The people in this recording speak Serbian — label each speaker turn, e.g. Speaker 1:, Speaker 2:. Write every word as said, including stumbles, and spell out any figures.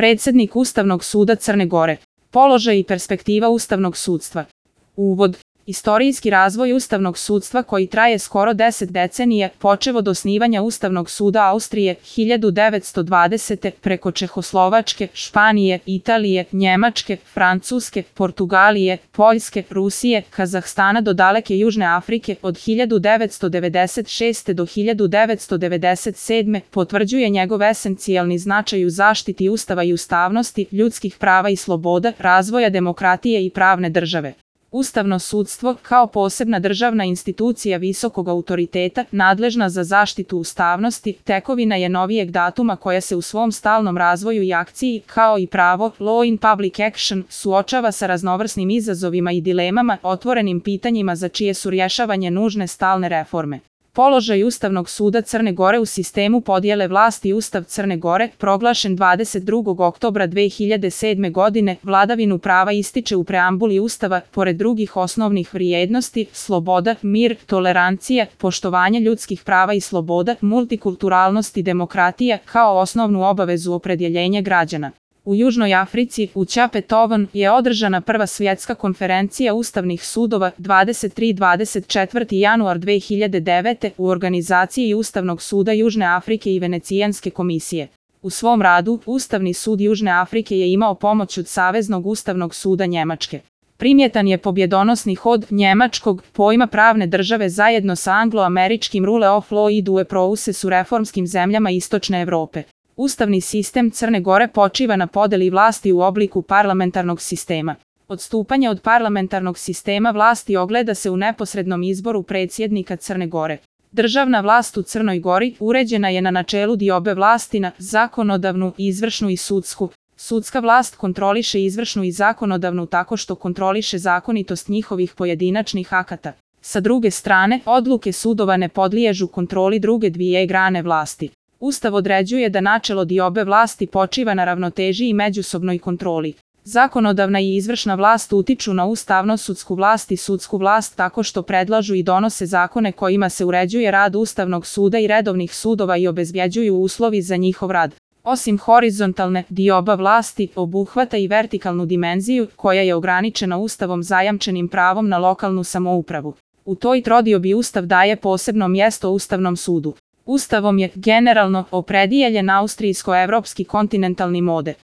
Speaker 1: Predsednik Ustavnog suda Crne Gore. Položaj i perspektiva ustavnog sudstva. Uvod. Istorijski razvoj ustavnog sudstva koji traje skoro deset decenija, počev od osnivanja Ustavnog suda Austrije hiljadu devetsto dvadesete. preko Čehoslovačke, Španije, Italije, Njemačke, Francuske, Portugalije, Poljske, Rusije, Kazahstana do daleke Južne Afrike od hiljadu devetsto devedeset šeste. do hiljadu devetsto devedeset sedme. potvrđuje njegov esencijalni značaj u zaštiti Ustava i ustavnosti, ljudskih prava i sloboda, razvoja demokratije i pravne države. Ustavno sudstvo, kao posebna državna institucija visokog autoriteta, nadležna za zaštitu ustavnosti, tekovina je novijeg datuma koja se u svom stalnom razvoju i akciji, kao i pravo, law in public action, suočava sa raznovrsnim izazovima i dilemama, otvorenim pitanjima za čije su rješavanje nužne stalne reforme. Položaj Ustavnog suda Crne Gore u sistemu podjele vlasti. Ustav Crne Gore, proglašen dvadeset drugog oktobra dve hiljade sedme. godine, vladavinu prava ističe u preambuli Ustava, pored drugih osnovnih vrijednosti, sloboda, mir, tolerancija, poštovanje ljudskih prava i sloboda, multikulturalnost i demokratija, kao osnovnu obavezu opredjeljenja građana. U Južnoj Africi, u Cape Town, je održana prva svjetska konferencija ustavnih sudova dvadeset tri do dvadeset četvrtog januara dve hiljade devete. u organizaciji Ustavnog suda Južne Afrike i Venecijanske komisije. U svom radu, Ustavni sud Južne Afrike je imao pomoć od Saveznog ustavnog suda Njemačke. Primjetan je pobjedonosni hod njemačkog pojma pravne države zajedno sa anglo-američkim rule of law i due process u reformskim zemljama Istočne Evrope. Ustavni sistem Crne Gore počiva na podeli vlasti u obliku parlamentarnog sistema. Odstupanje od parlamentarnog sistema vlasti ogleda se u neposrednom izboru predsjednika Crne Gore. Državna vlast u Crnoj Gori uređena je na načelu diobe vlasti na zakonodavnu, izvršnu i sudsku. Sudska vlast kontroliše izvršnu i zakonodavnu tako što kontroliše zakonitost njihovih pojedinačnih akata. Sa druge strane, odluke sudova ne podliježu kontroli druge dvije grane vlasti. Ustav određuje da načelo diobe vlasti počiva na ravnoteži i međusobnoj kontroli. Zakonodavna i izvršna vlast utiču na ustavno-sudsku vlast i sudsku vlast tako što predlažu i donose zakone kojima se uređuje rad Ustavnog suda i redovnih sudova i obezbjeđuju uslovi za njihov rad. Osim horizontalne, dioba vlasti obuhvata i vertikalnu dimenziju koja je ograničena Ustavom zajamčenim pravom na lokalnu samoupravu. U toj trodiobi Ustav daje posebno mjesto Ustavnom sudu. Ustavom je, generalno, opredijeljen austrijsko-evropski kontinentalni model.